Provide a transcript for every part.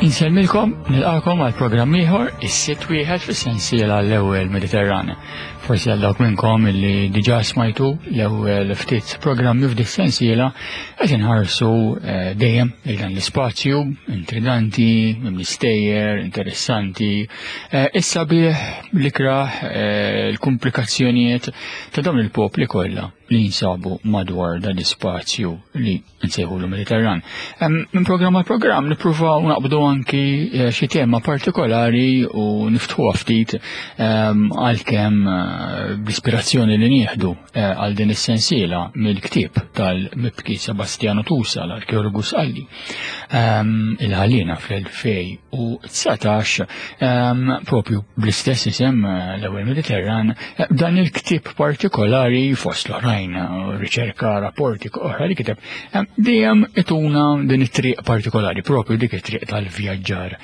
Insellmilkom, nilqakom għal programm ieħor, is-sitt wieħed fis-sensiela l-ewwel Mediterran. Forsi għal dawk minnkom li diġà smajtu l-ewwel ftit programmi f'dik sensiela qed inħarsu eh, dejjem lejn dan l-ispazju intriganti, mistejjer, interessanti, eh, issa bih l-ikrah eh, l-komplikazzjonijiet ta' dawn il-popli kollha li jinsabu madwar dan l-ispazju li nsejħulu Mediterran. Minn programm għal programm nippruvaw naqbdu anki eh, xi tema partikolari u niftħuha ftit għalkemm eh, bl-ispirazzjoni li nieħdu eh, għal din is-sensiela mill-ktieb tal-mibki Sebastiano Tusa l-arkeologu Sqalli il-ħalina fl-2019 propju bl-istess isem l-ewwel Mediterran dan il-ktieb partikolari fost l-oħrajn riċerka rapporti oħra li kiteb dejjem ituna din it-triq partikolari propju dik it-triq tal-vjaġġar.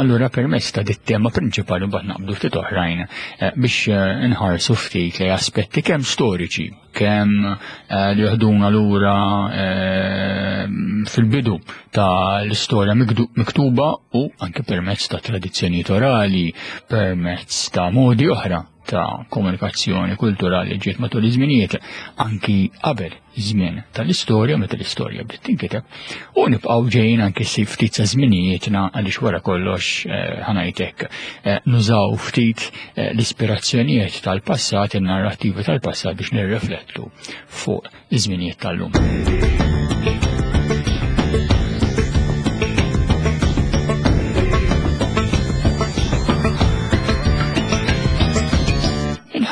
Allura permezz ta' dit tema prinċipali mbagħad naqbdu ftit oħrajn eh, biex eh, nħarsu ftit li aspetti kemm storiċi kemm eh, li joħduna lura fil-bidu ta' l-istorja miktuba u anke permezz ta' tradizzjonijiet orali, permezz ta' modi oħra ta' komunikazzjoni kulturali ġiet matul iż-żminijiet anki qabel żmien tal-istorja meta l-istorja bdiet tinkiteb u nibqgħu ġejjin anki si ftit sa żminijietna għaliex wara kollox eh, ħanajtek eh, nużaw ftit eh, l-ispirazzjonijiet tal-passat, in-narrattivi tal-passat biex nirriflettu fuq iż-żminijiet tal-lum.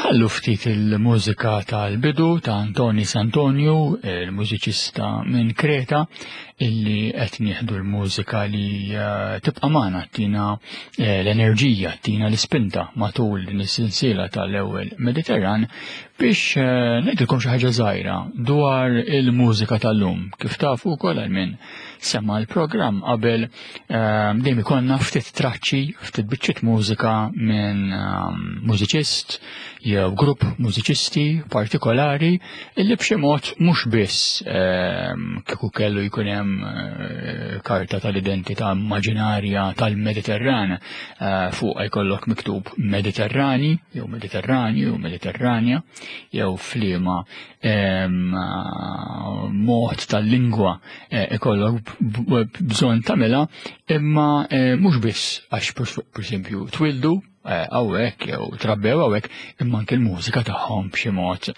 Inħallu ftit il-mużika tal-bidu ta' Antoni Santonio, il-mużiċista minn Kreta, illi qed nieħdu l-mużika li eh, tibqa' magħna tina eh, l-enerġija, tina l-ispinta matul din is-sensiela tal-ewwel Mediterran Biex eh, ngħidilkom xi ħaġa żgħira dwar il-mużika tal-lum, kif tafu wkoll għal min sema l-programm qabel eh, dejjem ikollna ftit traċċi, ftit biċċiet mużika minn eh, mużiċist jew grupp mużiċisti partikolari illi b'xi mod mhux biss kieku kellu jkun hemm karta tal-identità immaġinarja tal-Mediterran Eh, fuq jkollok miktub Mediterrani, jew Mediterranju, jew Mediterranja, jew fliema eh, mod tal-lingwa eh, ikollok bżonn tagħmilha, imma mhux biss għax pereżempju twildu hawnhekk jew trabbew hawnhekk, imma anke l-mużika tagħhom b'xi mod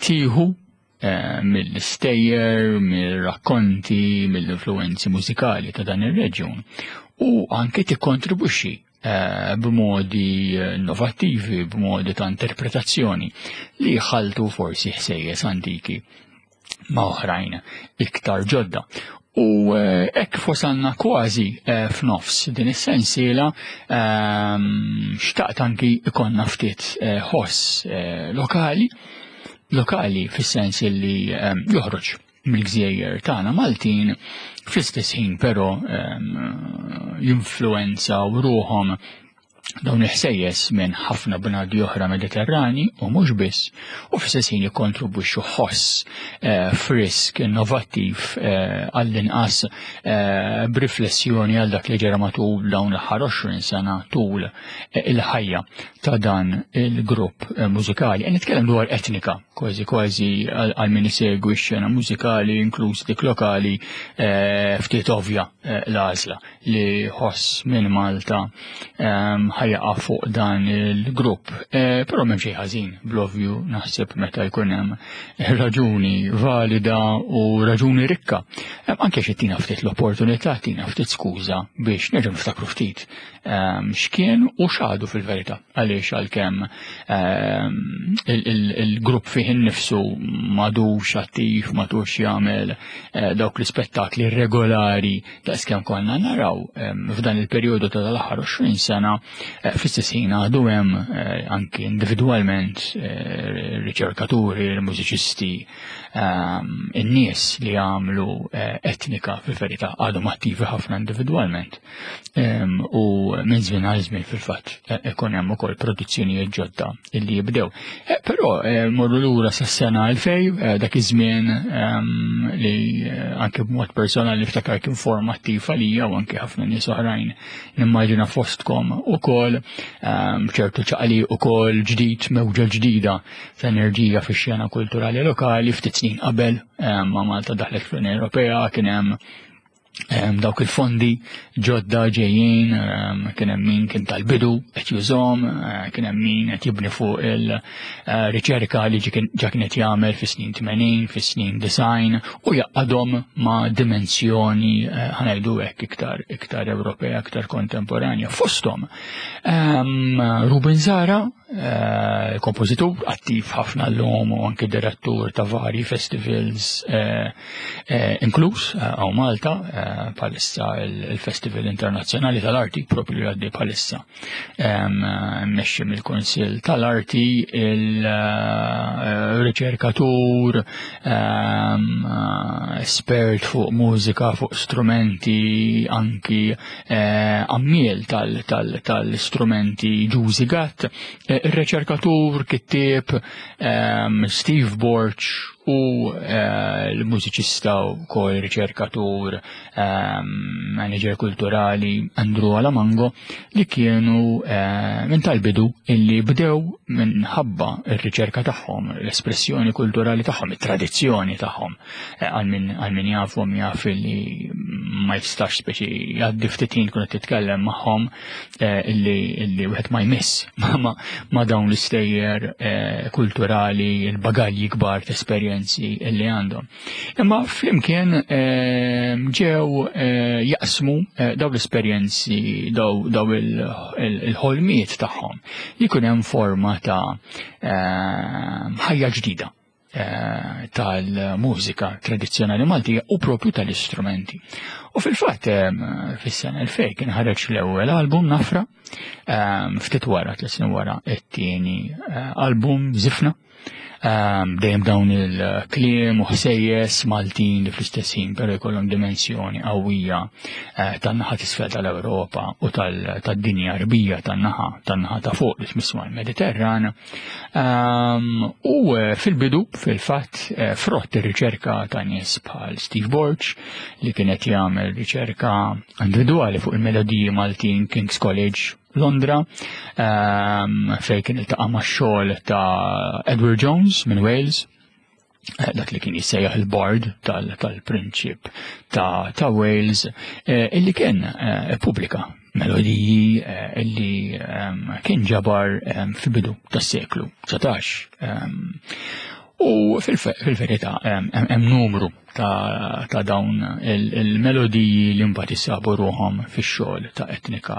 tieħu mill-istejjer, mill-rakkonti, mill-influenzi mużikali ta' dan ir-reġjun u anke tikkontribwixxi eh, b'modi innovattivi, b'modi ta' interpretazzjoni li jħaltu forsi ħsejjes antiki ma' oħrajn iktar ġodda. U eh, hekk wasalna kważi eh, f'nofs din is-sensiela ehm, xtaqt anki ikonna ftit ħoss lokali lokali fis-sens li ehm, joħroġ mill-gżejjer tagħna Maltin fl-istess ħin però ehm, jinfluwenzaw ruħhom dawn il-ħsejjes minn ħafna bnadi oħra Mediterrani u mhux biss, u fl-istess ħin jikkontribwixxu ħoss eh, frisk, innovattiv eh, għall-inqas eh, b'riflessjoni għal dak li ġara matul dawn l-aħħar 20 sena tul il-ħajja ta' dan il-grupp mużikali. Qed nitkellem dwar etnika, kważi kważi għal min isegwi x-xena mużikali, inkluż dik lokali, ftit ovvja l-għażla li ħoss minn Malta ehm, ħajaqa fuq dan il-grupp. Eh, però m'hemm xejn ħażin bl-ovvju naħseb meta jkun hemm raġuni valida u raġuni rikka. Ehm, anke xi tina ftit l-opportunità, tina ftit skuża biex nerġgħu niftakru ftit ehm, x'kien u x'għadu fil-verità. Għaliex għalkemm il-grupp fih innifsu madux attiv, madux jagħmel eh, dawk l-ispettakli regolari daqskemm konna naraw f'dan il-perjodu ta' tal-aħħar 20 sena. Fl-istess ħin għadu hemm anki individwalment riċerkaturi, mużiċisti, in-nies li għamlu etnika fil-verità għadhom attivi ħafna individwalment. U minn żmien għal żmien fil-fatt ikun hemm ukoll produzzjonijiet ġodda illi jibdew. Però morru lura sas-sena 2000, dak iż-żmien li anke b'mod personali niftakar kien formattiv għalija u anke ħafna nies oħrajn nimmaġina fostkom ukoll ċertu ċaqli ukoll ġdid, mewġa ġdida ta' enerġija fix-xena kulturali lokali ftit snin qabel ma' Malta daħlet fl-Unjoni Ewropea kien hemm dawk il-fondi ġodda ġejjin, kien hemm min kien tal-bidu qed jużhom, kien hemm min qed jibni fuq il-riċerka li ġa kien qed jagħmel fis-snin 80, fis-snin design u jaqadhom ma' dimensjoni ħanajdu hekk iktar iktar Ewropea, iktar kontemporanja. Fosthom Ruben Zara, kompożitur attiv ħafna l-lum u anki direttur ta' vari festivals inkluż għaw Malta bħalissa il-Festival Internazzjonali tal-Arti propju li għaddi bħalissa mmexxi mill-Kunsill tal-Arti, il-riċerkatur, espert fuq mużika, fuq strumenti, anki għammiel tal-istrumenti Ġużi Gatt, ir-riċerkatur, kittieb Steve Borg u l-mużiċista u kol riċerkatur, manager kulturali Andrew Alamango li kienu minn tal-bidu illi bdew minħabba r-riċerka tagħhom, l-espressjoni kulturali tagħhom, it-tradizzjoni tagħhom. Għal min jafhom jaf li ma jistax speċi jgħaddi ftit ħin tkun qed titkellem magħhom illi wieħed ma jmiss ma' dawn l-istejjer kulturali, il-bagalji kbar ta' esperjenzi illi għandhom. Imma flimkien ġew jaqsmu daw l-esperjenzi, daw il-ħolmiet tagħhom li jkun hemm forma ta' ħajja ġdida tal-mużika tradizzjonali Maltija u propju tal-istrumenti. U fil-fatt fis-sena 2000 kien ħareġ l-ewwel album Nafra, ftit wara, tliet snin wara, it-tieni album Żifna. Dejjem dawn il-kliem u ħsejjes Maltin li fl-istess ħin però jkollhom dimensjoni qawwija tan-naħa t'isfel tal-Ewropa u tad-dinja Għarbija tan-naħa tan-naħa ta' fuq li tmiss mal-Mediterran. U fil-bidu, fil-fatt, frott ir-riċerka ta' nies bħal Steve Borg li kien qed jagħmel riċerka individwali fuq il-melodiji Maltin King's College Londra, fejn kien iltaqa' max-xogħol ta' Edward Jones minn Wales, dak li kien jissejjaħ il-bard tal-prinċip ta' Wales, illi kien ippubblika melodiji illi kien ġabar fil-bidu tas-seklu 19. U fil-verità hemm numru ta' dawn il-melodiji li mbagħad isabu ruħhom fix-xogħol ta' etnika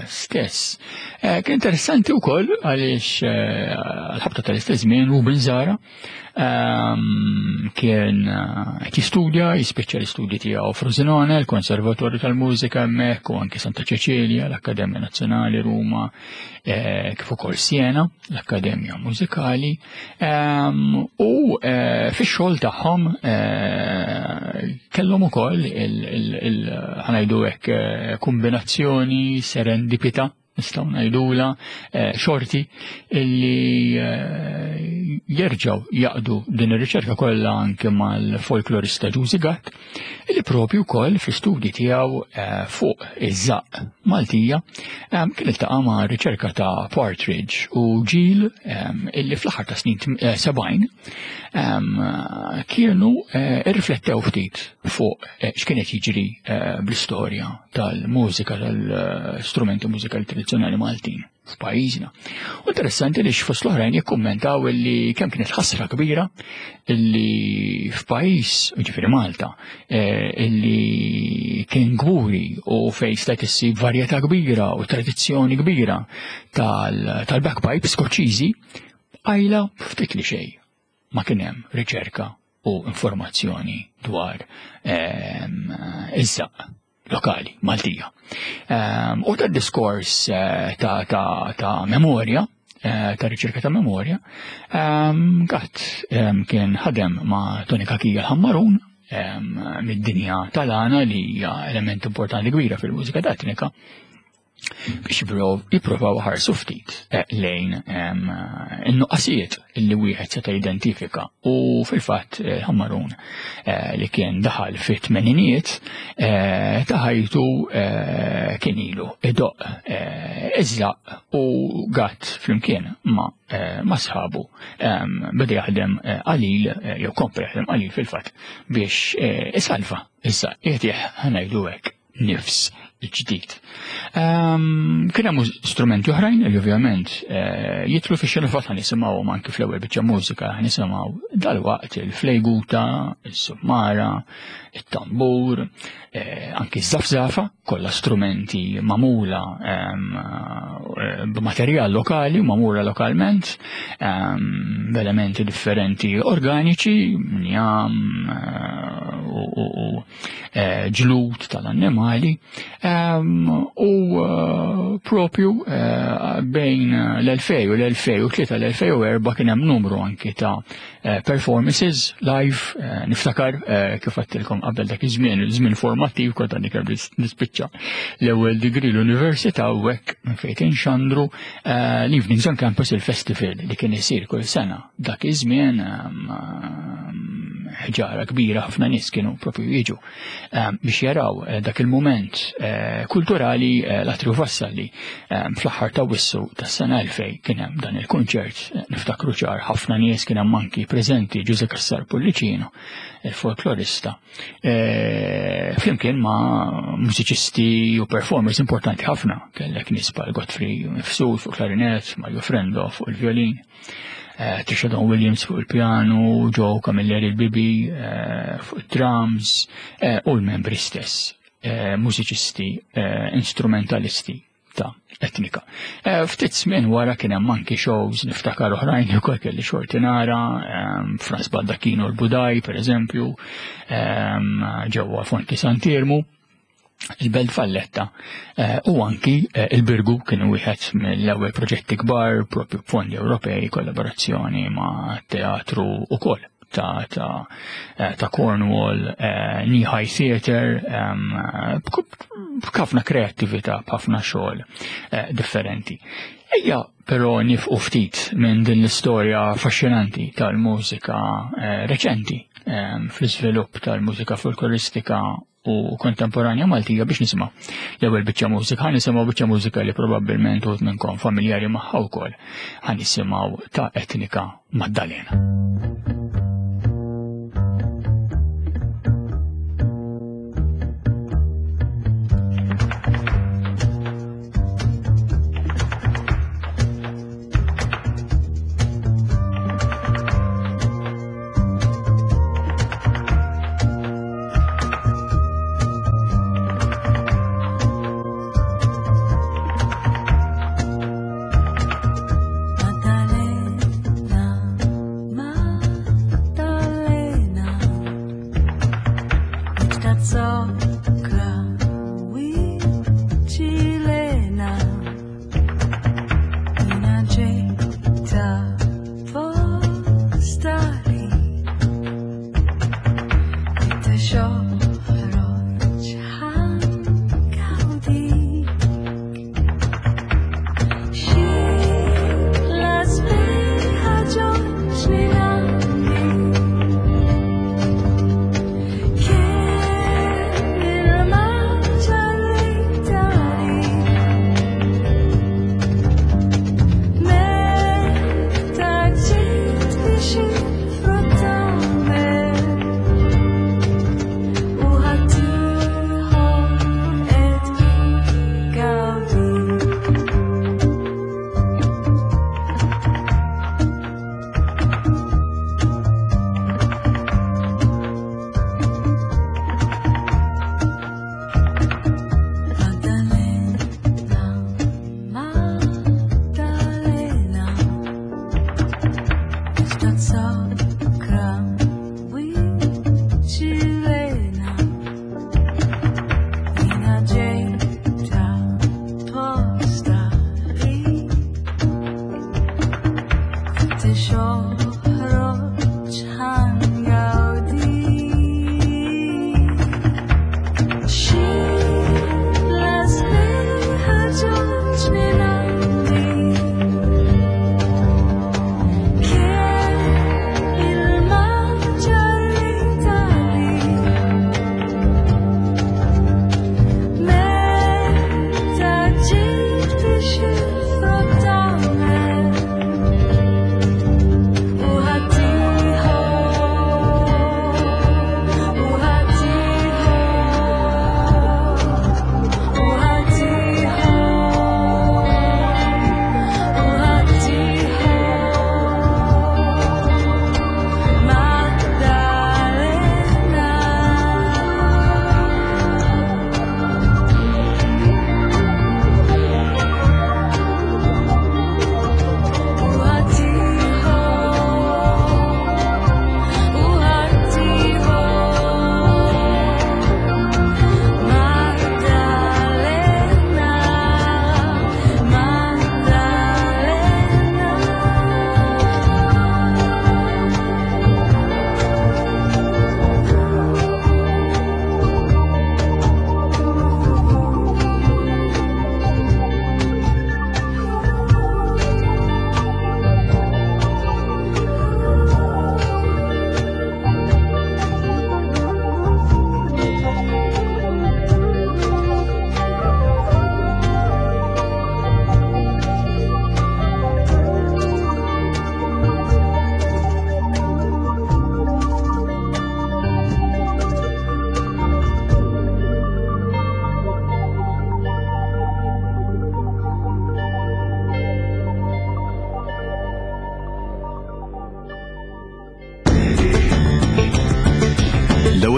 stess. Kien interessanti wkoll għaliex għal-ħabta tal-istess żmien Ruben Zara kien qed jistudja, jispiċċa l-istudji tiegħu Frosinone, il-Konservatorju tal-Mużika hemmhekk u anke Santa Ċeċilja, l-Akkademja Nazzjonali Ruma, kif ukoll Siena, l-Akkademja Mużikali. U fix-xogħol tagħhom kellhom ukoll ħanajdu hekk kombinazzjoni serendipità nistgħu ngħidula xorti illi jerġgħu jaqdu din ir-riċerka kollha anke mal-folklorista Ġużi Gatt illi propju wkoll fl-istudji tiegħu fuq iż-żaqq Maltija kien iltaqa' ma' riċerka ta' Partridge u Ġil illi fl-aħħar ta' snin 70 kienu irriflettew ftit fuq x'kien qed jiġri bl-istorja tal-mużika tal-strumenti mużikali tradizzjonali Maltin f'pajjiżna. U interessanti li fost l-oħrajn jikkummentaw illi kemm kienet ħasra kbira illi f'pajjiż, ġifieri Malta, illi kien kburi u fejn stajt issib varjetà kbira u tradizzjoni kbira tal-bagpipe Skoċċiżi, qajla ftit li xejn ma kien hemm riċerka u informazzjoni dwar iż-żaqq. lokali, Maltija. U ta' diskors ta', ta, ta memorja, ta' riċerka ta' memorja, Gatt kien ħadem ma' Tony Kakija l-Ħammarun mid-dinja tal-għana li hija element importanti kbira fil-mużika ta' etnika biex jipprovaw ħarsu ftit eh, lejn in-nuqqasijiet li wieħed seta' jidentifika u fil-fatt eh, Ħammarun eh, li kien daħal fit-tmeninijiet ta' ħajtu kien ilu idoq iżlaq u gatt flimkien ma' ma' sħabu beda jaħdem qalil jew kompla jaħdem qalil fil-fatt biex isalva issa qiegħed ħanajdu hekk nifs ġdid. Ehm, kien hemm strumenti oħrajn li ovvjament eh, jitlu fi xena fatt nisimgħu anki fl-ewwel biċċa mużika nisimgħu dalwaqt il-flejguta, is-summara, it-tambur, eh, anki ż-żafżafa, kollha strumenti magħmula ehm, eh, b'materjal lokali, magħmula lokalment, ehm, b'elementi differenti organiċi, njam u Eh, ġlud tal-annimali ehm, u eh, propju eh, bejn l-2000 u l-2003 l-2004 kien hemm numru anki ta' performances live niftakar kif għattilkom qabel dak iż-żmien, żmien formattiv kont għandi kemm nispiċċa l-ewwel degree l-università u hekk minn fejn inxandru l-Evenings on Campus il-festival li kien isir kull sena Dak iż-żmien ehm, ehm, ħġara kbira ħafna nies kienu propju jiġu ehm, biex jaraw eh, dak il-mument eh, kulturali eh, l-Atriju Vassalli fl-aħħar ta' wissu tas-sena 2000 kien hemm dan il-kunċert niftakru ċar ħafna nies kien hemm anki preżenti Ġuże Cassar Pullicino, il-folklorista, flimkien ma' mużiċisti u performers importanti ħafna, kellek nies bħal Godfrey Mifsud fuq klarinet, Mario Frendo fuq il-violin. Eh, Trisha Don Williams fuq il-pjanu, Joe Camilleri il-Bibi eh, fuq il-drums eh, u l-membri stess, mużiċisti, instrumentalisti ta' etnika. Ftit żmien wara kien hemm anki shows niftakar oħrajn li wkoll kelli xorti nara, Franz Baldacchino l-Budaj pereżempju, ġewwa Fonti Sant'Iermu il-Belt Valletta eh, u anki eh, il-Birgu kienu wieħed mill-ewwel proġetti kbar propju b'fondi Ewropej kollaborazzjoni ma' teatru ukoll ta' ta' eh, ta' Cornwall, Knee High Theatre, b'ħafna kreattività, b'ħafna xogħol differenti. Ejja però nifqu ftit minn din l-istorja affaxxinanti tal-mużika reċenti fl-iżvilupp tal-mużika folkloristika u kontemporanja Maltija biex nisimgħu. L-ewwel biċċa mużika ħa nisimgħu biċċa mużika li probabbilment uħud minnkom familjari magħha wkoll. Ħa nisimgħu ta' Etnika Maddalena. Maddalena,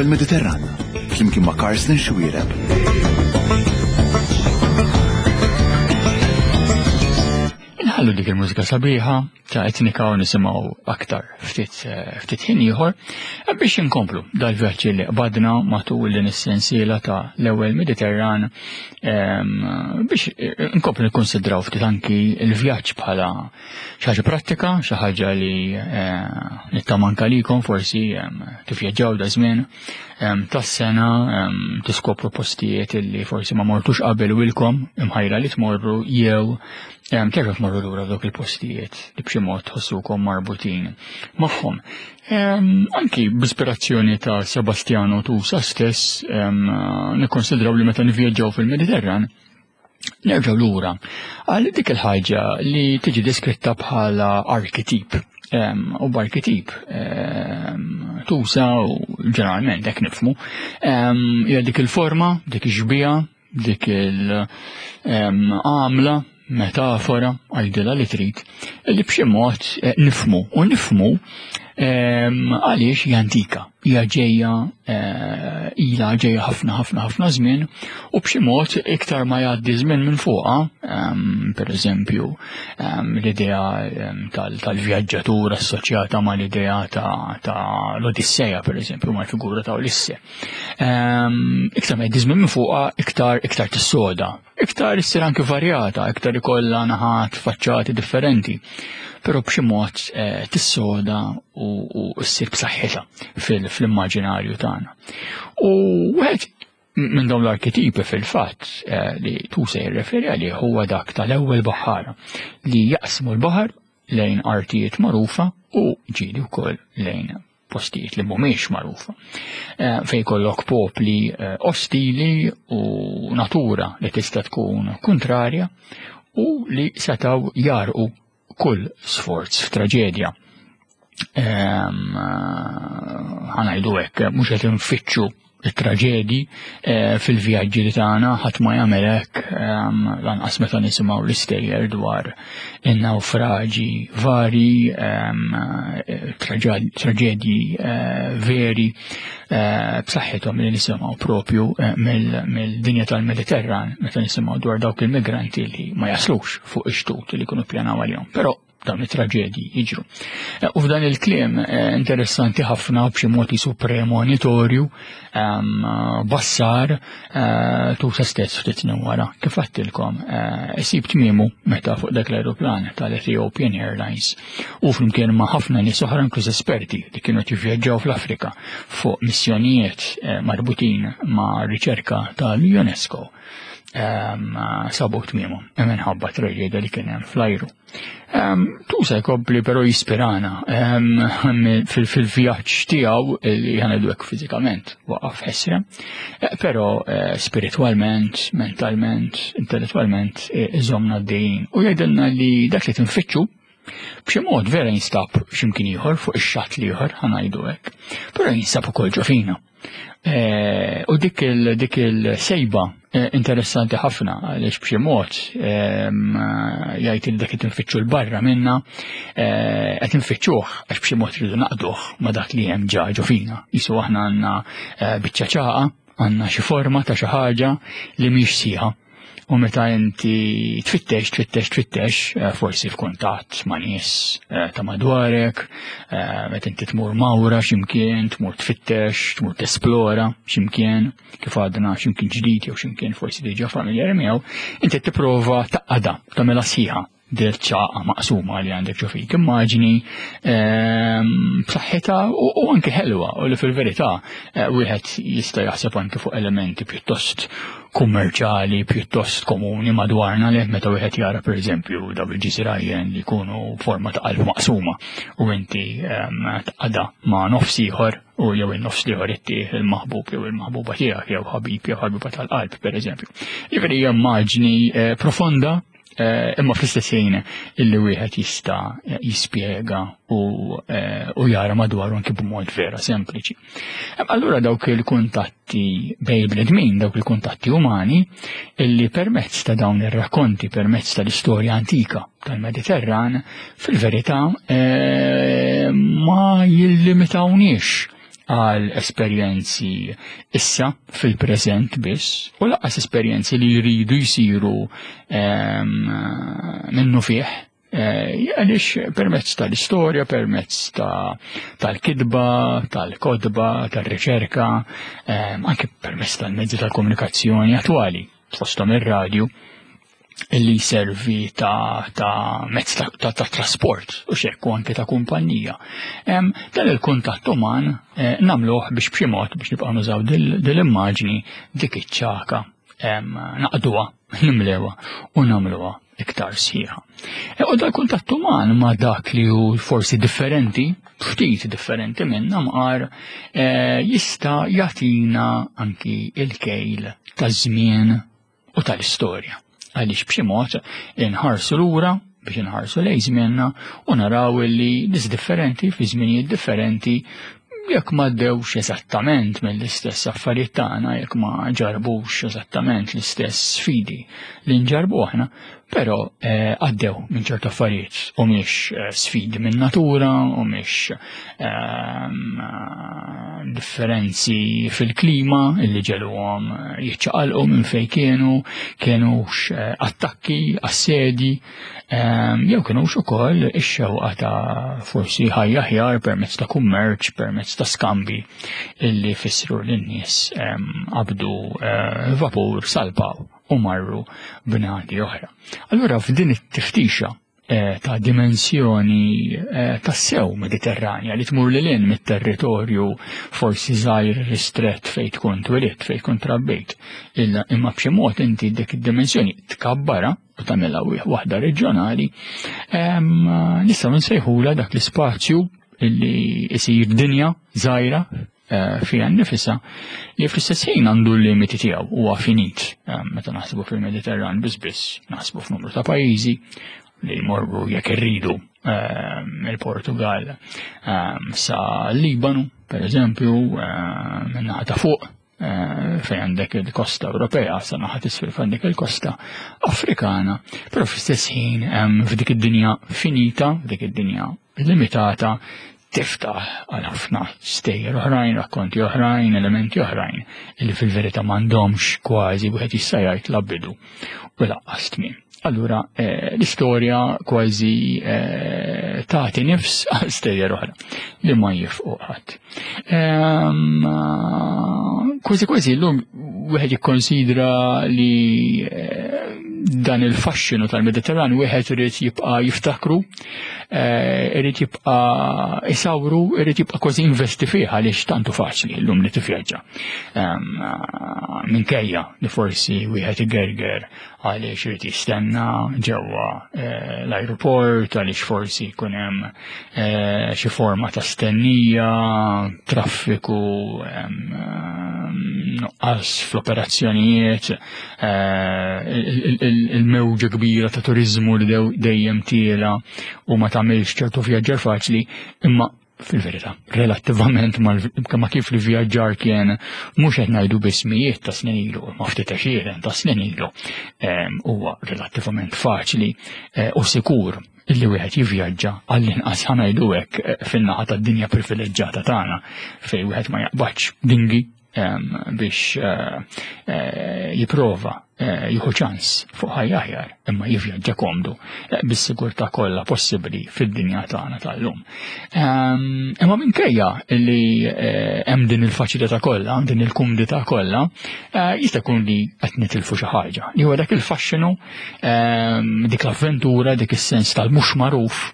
L-ewwel Mediterran, flimkien ma' Karsten Xuereb. Inħallu dik il-mużika sabiħa ta' etnika u nisimgħu aktar ftit eh, ftit ħin ieħor eh, biex inkomplu dal-vjaġġ li qbadna matul din is-sensiela ta' l-ewwel Mediterran ehm, biex eh, inkomplu nikkonsidraw ftit anki l-vjaġġ bħala xi ħaġa prattika, xi ħaġa li nittama anke għalikom forsi tivvjaġġaw da żmien tas-sena tiskopru postijiet li forsi ma mortux qabel u ilkom imħajra li tmorru jew terġgħu tmorru lura f'dawk il-postijiet li b'xi mod tħossukom marbutin magħhom. Anki b'ispirazzjoni ta' Sebastiano Tusa stess nikkonsidraw li meta nivvjaġġaw fil-Mediterran Nerġgħu lura għal dik il-ħaġa li tiġi deskritta bħala arkitip. U b'arkitip tuża u ġeneralment hekk nifhmu hija dik il-forma, dik ix-xbieha, dik il-għamla, metafora, għajdilha li trid, li b'xi mod eh, nifhmu u nifhmu għaliex hija antika. hija ġejja eh, ilha ġejja ħafna ħafna ħafna żmien u b'xi mod iktar ma jgħaddi żmien minn fuqha, ehm, per eżempju ehm, l-idea ehm, tal-vjaġġatur assoċjata ma l-idea ta' l-Odisseja per eżempju mal-figura ta' Ulisse. Iktar ma jgħaddi żmien minn fuqha iktar iktar tissoda Iktar issir anki varjata, iktar ikollha naħat faċċati differenti, però b'xi mod eh, tissoda u ssir b'saħħitha fil-immaġinarju tagħna. U wieħed minn dawn l-arketipi fil-fatt eh, li tu se jirreferi għalih huwa dak tal-ewwel baħħara li jaqsmu l-baħar lejn artijiet magħrufa u ġieli wkoll lejn postijiet li mhumiex magħrufa. Eh, fejn kollok popli eh, ostili u natura li tista' tkun kontrarja u li setaw jarqu kull sforz f'traġedja. Ehm, eh, ħanajdu hekk, mhux qed infittxu it-traġedji eh, fil-vjaġġi li tagħna ħadd ma jagħmel hekk ehm, lanqas meta nisimgħu l-istejjer dwar in-nawfraġi vari, ehm, eh, traġedji eh, veri b'saħħithom li nisimgħu propju mill-dinja tal-Mediterran meta nisimgħu dwar dawk il-migranti li ma jaslux fuq ix-xtut li jkunu ppjanaw għalihom. Però dawn it-traġedji jiġru. Eh, u f'dan il-kliem eh, interessanti ħafna b'xi mod jisu premonitorju ehm, bassar eh, tu sa stess ftit snin wara. Kif għattilkom, isib tmiemu meta fuq dak l-aeroplan tal-Ethiopian Airlines u flimkien ma' ħafna nies oħra inkluż esperti li kienu jivvjaġġaw fl-Afrika fuq missjonijiet marbutin ma' riċerka tal-UNESCO ehm, sabu tmiemu minħabba traġedja li kien hemm fl-ajru. Tusa jkompli però jispirana fil-vjaġġ tiegħu li ħanedu hekk fiżikament waqaf ħesra, eh, però eh, spiritwalment, mentalment, intellettwalment eh, iżomna d-dejn u jgħidilna li dak li tinfittxu b'xi mod vera jinstab x'imkien ieħor fuq ix-xatt l-ieħor ħanajdu hekk, però jinsab ukoll ġo fina. Eh, u dik il-dik il-sejba eh, interessanti ħafna għaliex b'xi mod ehm, jgħid il dak qed infittxu l-barra minna eh, qed infittxuh għax b'xi mod rridu naqduh ma' dak li hemm ġa ġo fina. Jisu aħna għandna biċċa ċaqa, għandna xi forma ta' xi ħaġa li mhix sieħa. U meta inti tfittex, tfittex, tfittex, eh, forsi f'kuntatt ma' nies eh, ta' madwarek, eh, meta inti tmur mawra x'imkien, tmur tfittex, tmur tesplora x'imkien, kif għadna x'imkien ġdid jew x'imkien forsi diġà familjari miegħu, inti tipprova taqgħadha, tagħmilha sħiħa dil ċaqa maqsuma li għandek ġo fik. Immaġini ehm, b'saħħitha u anke ħelwa u li fil-verità eh, wieħed jista' jaħseb anke fuq elementi pjuttost kummerċali, pjuttost komuni madwarna li meta wieħed jara pereżempju daw il-ġiżirajjen li jkunu forma ta' qalb maqsuma u inti ehm, tqada ma' nofs ieħor u jew in-nofs li ittih il-maħbub jew il-maħbuba tiegħek jew ħabib jew ħabiba tal-qalb pereżempju. Jiġifieri hija immaġni eh, profonda Eh, imma fl-istess ħin illi wieħed jista' jispjega u, eh, u jara madwaru anki b'mod vera sempliċi. Allura dawk il-kuntatti bej bnedmin, dawk il-kuntatti umani, illi permezz ta' dawn ir-rakkonti, permezz tal-istorja antika tal-Mediterran, fil-verità eh, ma jillimitawniex. għal esperjenzi issa fil-preżent biss u laqqas esperjenzi li jridu jsiru minnu fih eh, għaliex permezz tal-istorja, permezz tal-kidba, tal-kodba, tal-riċerka, anke permezz tal-mezzi tal-komunikazzjoni attwali, fosthom ir-radju, li jservi ta', ta mezz ta', ta, ta trasport u xekk u anke ta' kumpanija. Dan il-kuntatt uman eh, namluh biex b'xi mod biex nibqgħu nużaw dil-immaġni dik iċ-ċaka naqduha, nimlewha u nagħmluha iktar sħiħa. E, u dal-kuntatt uman ma' dak li hu forsi differenti, ftit differenti minna mqar, eh, jista' jagħtina anki il-kejl ta' żmien u tal-istorja. Għaliex b'xi mod inħarsu lura biex inħarsu lejn żmienna u naraw li nies differenti fi żminijiet differenti jekk ma ddewx eżattament mill-istess affarijiet tagħna, jekk ma ġarbux eżattament l-istess sfidi li nġarbu aħna, però eh, għaddew minn ċertu affarijiet u mhix eh, sfidi minn natura u mhix ehm, differenzi fil-klima illi ġeluhom jiċċaqalqu minn fejn kienu, kienux eh, attakki, assedji, jew kienux ukoll ix-xewqa ta' forsi ħajja aħjar permezz ta' kummerċ, permezz ta' skambi illi fissru lin-nies qabdu vapur salpaw u marru bnadi oħra. Allura f'din it-tiftixa eh, ta' dimensjoni eh, tassew mediterranja li tmur lil hinn mit-territorju forsi żgħir ristrett fejn tkun twilidt, fejn tkun trabbejt. Imma b'xi mod inti dik id-dimensjoni tkabbara u tagħmilha waħda reġjonali, nistgħu nsejħula dak l-ispazju illi isir dinja żgħira eh, fiha nnifisha li fl-istess ħin għandu l-limiti tiegħu huwa finit. Eh, meta naħsbu fil-Mediterran biss biss naħsbu f'numru ta' pajjiżi li jmorru jekk irridu eh, il-Portugal sa Libanu, per eżempju, minnaħa ta' fuq fejn għandek il-kosta Ewropea, sa naħa tisfel fejn għandek il-kosta Afrikana, però fl-istess ħin f'dik id-dinja finita, f'dik id-dinja limitata, tiftaħ għal ħafna stejjer oħrajn, rakkonti oħrajn, elementi oħrajn, illi fil-verità m'għandhomx kważi wieħed jista' jgħid la bidu u laqqas tmiem. Allura eh, l-istorja kważi eh, tagħti nifs għal stejjer oħra li ma jifqu ħadd. Ehm, kważi kważi llum wieħed jikkonsidra li eh, dan il-faxxinu tal-Mediterran wieħed irid jibqa' jiftakru, eh, irid jibqa' isawru, irid jibqa' kważi investi fih għaliex tantu faċli llum li tivvjaġġa. Ehm, minkejja li forsi wieħed igerger għaliex irid jistenna ġewwa eh, l-ajruport, għaliex forsi jkun hemm eh, xi forma ta' stennija, traffiku, nuqqas fl-operazzjonijiet, eh, il-mewġa kbira ta' turizmu li dejjem tiela u ma tagħmilx ċertu vjaġġar faċli, imma fil-verità, relattivament ma kif li vjaġġar kien mhux qed ngħidu biss mijiet ta' snin ilu, ma ftit għexieren ta' snin ilu, huwa relattivament faċli eh, u sikur illi wieħed jivvjaġġa għall-inqas ħanajdu hekk eh, fin-naħa tad-dinja privileġġjata tagħna fejn wieħed ma jaqbadx dingi biex eh, eh, jiprova eh, jieħu ċans fuq ħajja aħjar imma jivvjaġġa komdu bis-sigurtà kollha possibbli fid-dinja tagħna tal-lum. Imma minkejja li hemm din il-faċilità kollha, din il-kumdità kollha, jista' jkun li qed nitilfu xi ħaġa. Li huwa dak il-faxxinu, dik l-avventura, dik is-sens tal-mhux magħruf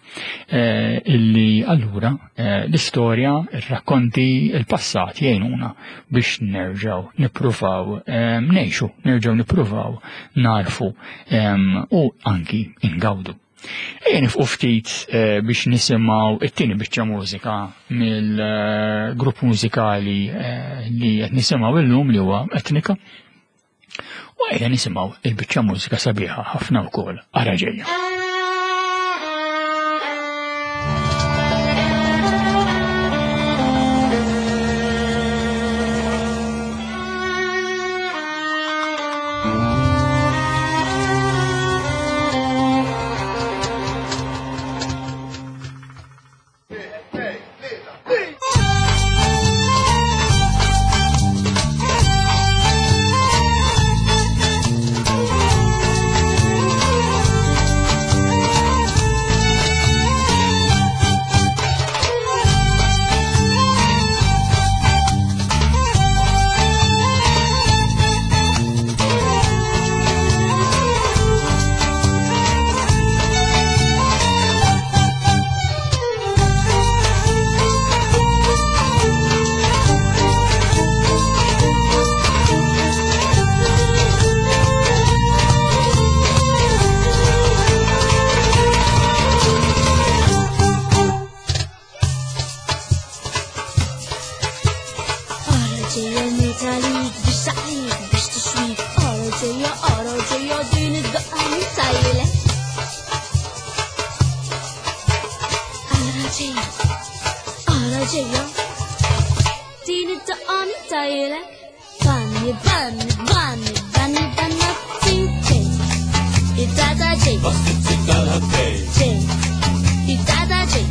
illi allura Eh, l-istorja, ir-rakkonti, il-passat jgħinuna biex nerġaw nippruvaw ehm, ngħixu, nerġaw nippruvaw narfu ehm, u anki ingawdu. Ejja nifqu ftit eh, biex nisimgħu it-tieni biċċa mużika mill-grupp mużikali eh, li qed nisimgħu illum li huwa Etnika. U ejja nisimgħu il-biċċa mużika sabiħa ħafna wkoll ara ġejja. ġejja din id-daqqa min tajlek. Ara ġejja, ara ġejja, din id-daqqa min tajlek. Banni, banni, banni, banni, banni, tinti. Id-dada ġej. Ġej. Id-dada ġej.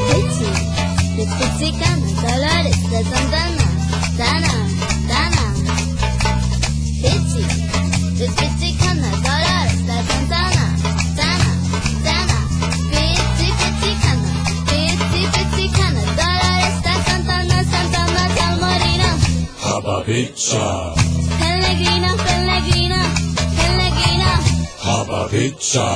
Pizzi, pizzi dolores de Santana, Tana, Tana. Pizzi, pizzicana, dolores de Santana, Tana, Tana. Pizzi, pizzicana, pizzi, pizzicana, dolores de Santana, Santana, Salmorina. Hababitsa, Pellegrina, Pellegrina, Pellegrina. Hababitsa,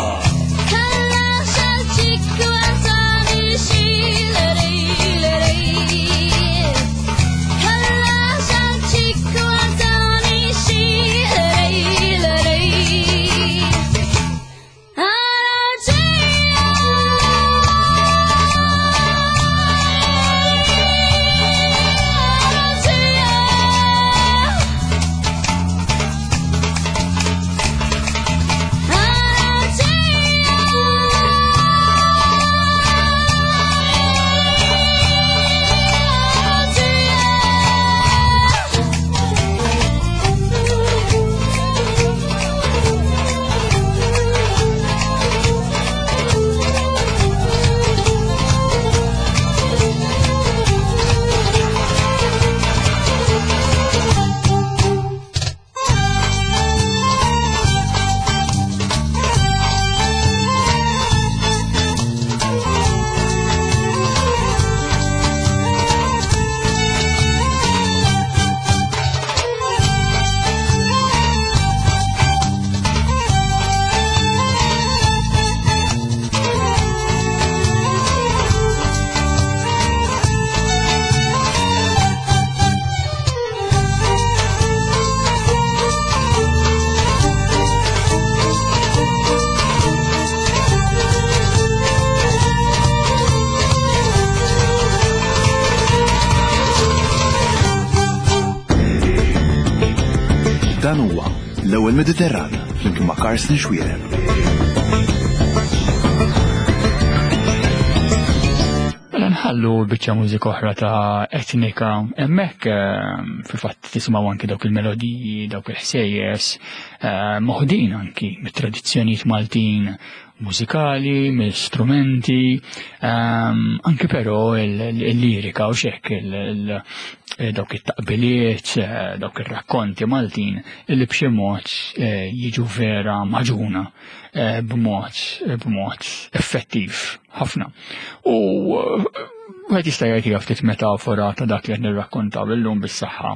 Dan huwa l-ewwel Mediterran flimkien ma' Karsten Xuereb. Mela nħallu biċċa mużika oħra ta' etnika hemmhekk fil-fatt tisimgħu anki dawk il-melodiji, dawk il-ħsejjes, moħdin anki mit-tradizzjonijiet Maltin mużikali, mill-strumenti, anki però il-lirika u xek dawk it-taqbiliet, dawk ir-rakkonti Maltin illi b'xi mod jiġu vera maġuna b'mod effettiv ħafna. U wieħed jista' jgħid ftit metafora ta' dak li qed nirrakkontaw illum bis-saħħa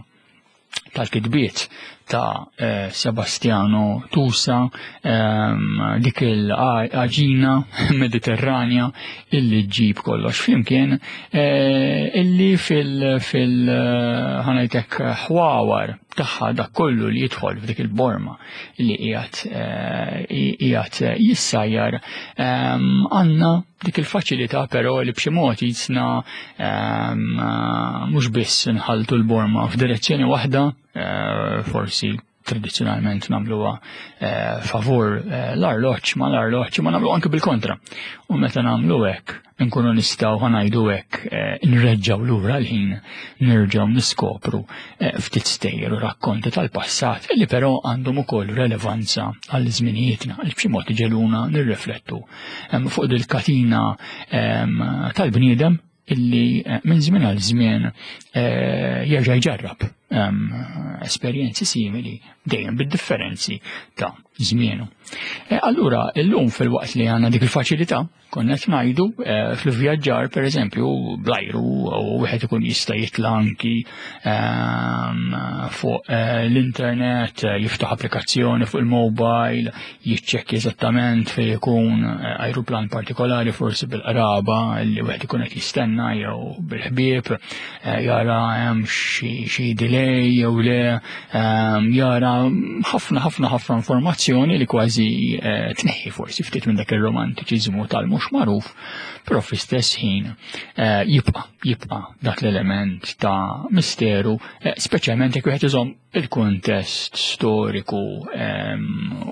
tal-kitbiet ta' Sebastiano Tusa, dik il-għaġina mediterranja illi ġib kollox flimkien, illi fil ħanajtek ħwawar tagħha dak kollu li jidħol f'dik il-borma li qiegħed jissajjar, għandna dik il-faċilità però li b'xi mod jisna mhux biss nħaltu l-borma f'direzzjoni waħda, forsi tradizzjonalment nagħmluha favur l-arloġġ ma l-arloġġ, ma nagħmlu anke bil-kontra. U meta nagħmlu hekk nkunu nistgħu ħanajdu hekk nreġġgħu lura l-ħin, nerġgħu niskopru ftit stejjer u rakkonti tal-passat li però għandhom ukoll relevanza għal żminijietna, li b'xi mod iġeluna nirriflettu fuq dil-katina tal-bniedem illi minn żmien għal żmien jerġa' jġarrab esperjenzi simili dejjem bid-differenzi ta' żmienu. Allura illum fil-waqt li għandna dik il-faċilità, konna qed ngħidu fil-vjaġġar pereżempju bl-ajru u wieħed ikun jista' jitla' anki fuq l-internet, jiftaħ applikazzjoni fuq il-mobile, jiċċekkja eżattament fejn ikun ajruplan partikolari, forsi bil-qraba li wieħed ikun qed jistenna jew bil-ħbieb, jara jara hemm xi delay jew le, jara ħafna ħafna ħafna informazzjoni li kważi eh, tneħħi forsi ftit minn dak ir-romantiċiżmu tal-mhux magħruf, però fl-istess ħin eh, jibqa' jibqa' dak l-element ta' misteru, eh, speċjalment jekk wieħed iżomm il-kuntest storiku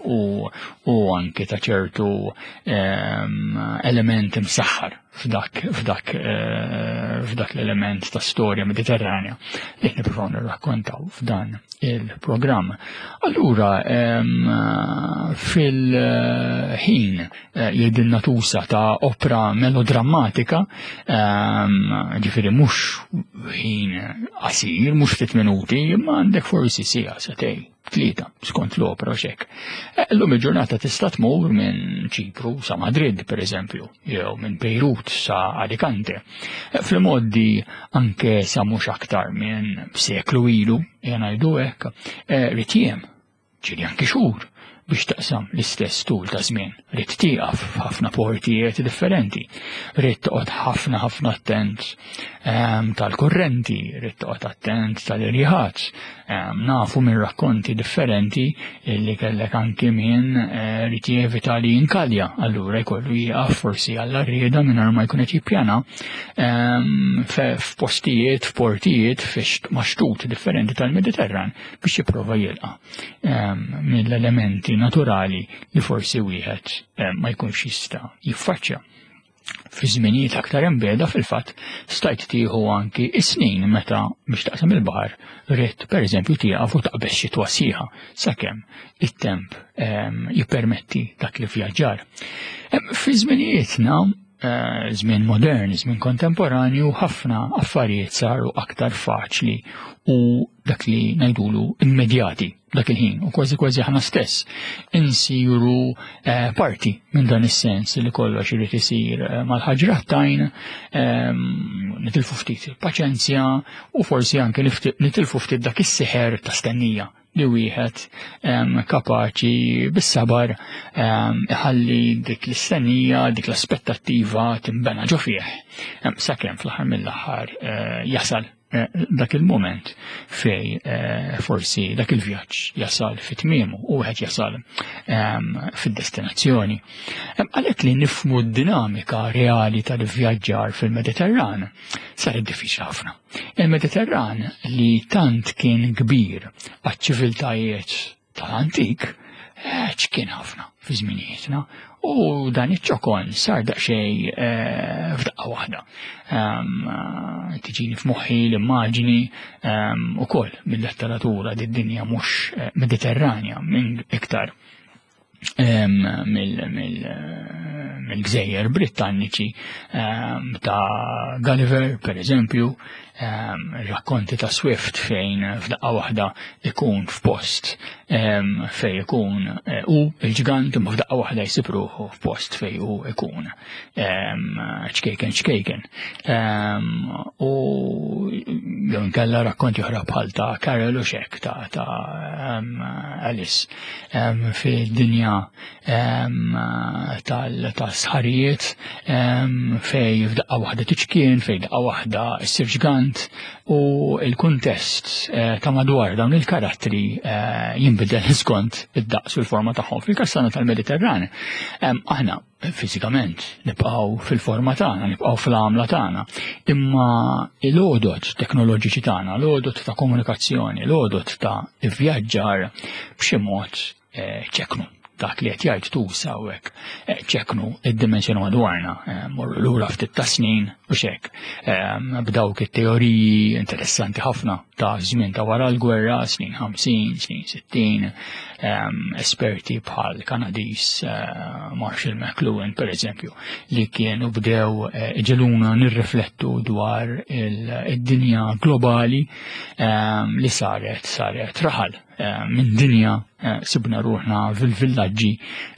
u, u anke ta' ċertu element imsaħħar f'dak f'dak eh, f'dak l-element ta' storja mediterranja li nippruvaw nirrakkontaw f'dan il-programm. Allura fil-ħin eh, jgħidilna tusa ta' opra melodrammatika, ġifieri mhux ħin qasir, mhux ftit minuti, imma għandek forsi sija setej tlieta skont l-opra xek. Eh, llum il-ġurnata tista' tmur minn Ċipru sa Madrid, per eżempju, jew minn Beirut sa Alicante. Eh, fl-modi anke sa mhux aktar minn seklu ilu, jgħidu hekk, eh, ritjem, ġieli anke xhur biex taqsam l-istess tul ta' żmien. Rid tieqaf f'ħafna portijiet differenti. Rid toqgħod ħafna ħafna attent ehm, tal-kurrenti, rid toqgħod attent tal-irjiħat. Ehm, nafu minn rakkonti differenti li kellek anki minn eh, rid jevita li jinkalja, allura jkollu jieqaf forsi għall rieda mingħajr ma jkun qed jippjana ehm, f'postijiet, f'portijiet, f'maxtut differenti tal-Mediterran biex jipprova jilqa' ehm, mill-elementi naturali li forsi wieħed ma jkunx jista' jiffaċċja. Fi żminijiet aktar imbeda fil-fatt stajt tieħu anki is-snin meta biex taqsam il-baħar ridt pereżempju tieqaf u taqbeż xi twasieħa sakemm it-temp ehm, jippermetti dak li vjaġġar. Ehm, fi żminijietna eh, żmien modern, żmien kontemporanju, ħafna affarijiet saru aktar faċli u dak li ngħidulu immedjati dak il-ħin u kważi kważi aħna stess insiru eh, parti minn dan is-sens li kollox irid isir eh, mal-ħaġra tajn ehm, nitilfu ftit il-paċenzja u forsi anke nitilfu ftit dak is-seħer ta' stennija li wieħed ehm, kapaċi bis-sabar ehm, iħalli dik l-istennija, dik l-aspettattiva timbena ġo fih. Sakemm fl-aħħar mill-aħħar eh, jasal Eh, dak il-moment fej eh, forsi dak il-vjaġġ jasal fit tmiemu u wieħed jasal ehm, fid-destinazzjoni. Ehm, għalhekk li nifmu d-dinamika reali tal-vjaġġar fil-Mediterran saret diffiċli ħafna. Il-Mediterran li tant kien kbir għaċ-ċiviltajiet tal-antik eh, ċkien ħafna fi żminijietna u dan iċ-ċokon sar daqsxejn eh, f'daqqa waħda. Ehm, eh, tiġini f'moħħi l-immaġini ehm, ukoll mill-letteratura di dinja mhux Mediterranja minn iktar ehm, mill-gżejjer Britanniċi ta' Gulliver, per eżempju, rakkonti ta' Swift fejn f'daqqa waħda ikun f'post fejn ikun eh, u il-ġgant imma f'daqqa waħda jsib ruħu f'post fejn hu ikun ċkejken ċkejken. U jew inkella rakkonti oħra bħal ta' Carol u xek ta' ta' Alice fid-dinja tal-sħarijiet fej f'daqqa waħda tiċkien, fej daqqa waħda ssir ġgant u l-kuntest eh, ta' madwar dawn il-karattri eh, jinbidel skont id-daqs u l-forma tagħhom. Fil-kassana tal-Mediterran, aħna fiżikament nibqgħu fil-forma tagħna, nibqgħu fl-għamla tagħna, imma l-għodot teknoloġiċi tagħna, l-għodot ta' komunikazzjoni, l-għodot ta' vjaġġar b'xi mod eh, ċeknu dak li qed jgħid tusa hawnhekk eh, ċeknu id-dimensjoni madwarna, eh, morru lura ftit ta' snin u xek. B'dawk it-teoriji interessanti ħafna ta' żmien ta' wara l-gwerra, snin 50, snin 60, esperti bħal Kanadis Marshall McLuhan per eżempju, li kienu bdew iġeluna nirriflettu dwar id-dinja globali li saret saret raħal Eh, minn dinja eh, sibna ruħna fil-villaġġi